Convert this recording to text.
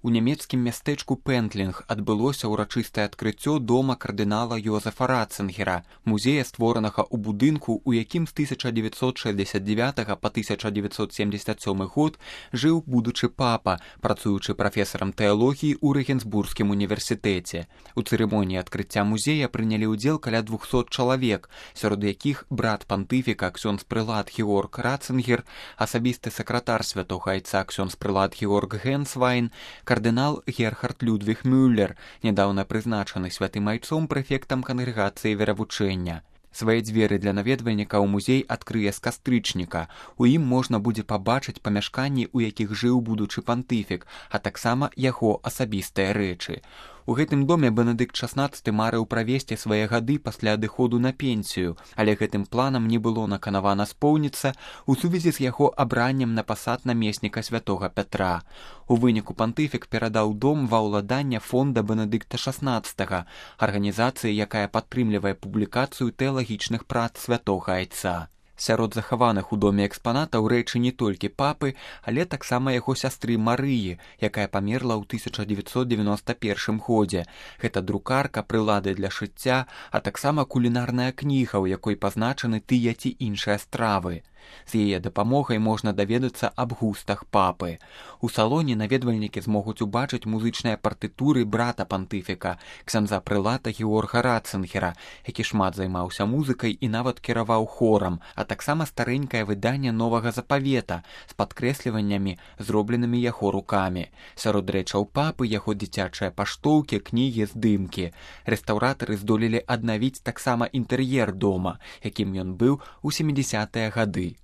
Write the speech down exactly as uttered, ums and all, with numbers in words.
У нямецкім мястэчку Пентлінг адбылося ўрачыстае адкрыццё дома кардынала Йозефа Ратцынгера, музея, створанага ў будынку, у якім з тысяча дзевяцьсот шэсцьдзесят дзевятага па тысяча дзевяцьсот семьдесят сёмы год жыў будучы папа, працуючы прафесарам тэалогіі ў Рэгенсбургскім універсітэце. У цырымоніі адкрыцця музея прынялі ўдзел каля двухсот чалавек, сярод якіх брат пантыфіка ксёндз-прылад Георг Ратцынгер, асабісты сакратар святога айца ксёндз-прылад Георг Генсвайн, кардынал Герхард Людвіг Мюллер, нядаўна прызначаны святым айцом прэфектам кангрэгацыі веравучэння. Свае дзверы для наведвальнікаў музей адкрые з кастрычніка. У ім можна будзе пабачыць памяшканні, у якіх жыў будучы пантыфік, а таксама яго асабістыя рэчы. У гэтым доме Бенедыкт шаснаццаты марыў правесці свае гады пасля адыходу на пенсію, але гэтым планам не было наканавана споўніцца у сувязі з яго абраннем на пасад намесніка святога Пятра. У выніку пантыфік перадаў дом ва ўладанне фонда Бенедыкта шаснаццатага, арганізацыі, якая падтрымлівае публікацыю тэалагічных прац святога айца. Сярод захаваных у доме экспанатаў рэчы не толькі папы, але таксама яго сястры Марыі, якая памерла ў тысяча дзевяцьсот девяносто першым годзе. Гэта друкарка, прылады для шыцця, а таксама кулінарная кніга, у якой пазначаны тыя ці іншыя стравы. З яе дапамогай можна даведацца аб густах папы. У салоне наведвальнікі змогуць убачыць музычныя партытуры брата пантыфіка, ксяндза-прылата Георга Ратцынгера, які шмат займаўся музыкай і нават кіраваў хорам, а таксама старэнькае выданне новага запавета з падкрэсліваннямі, зробленымі яго рукамі. Сярод рэчаў папы яго дзіцячыя паштоўкі, кнігі, здымкі. Рэстаўратары здолелі аднавіць таксама інтэр'ер дома, якім ён быў у сямідзясятыя гады.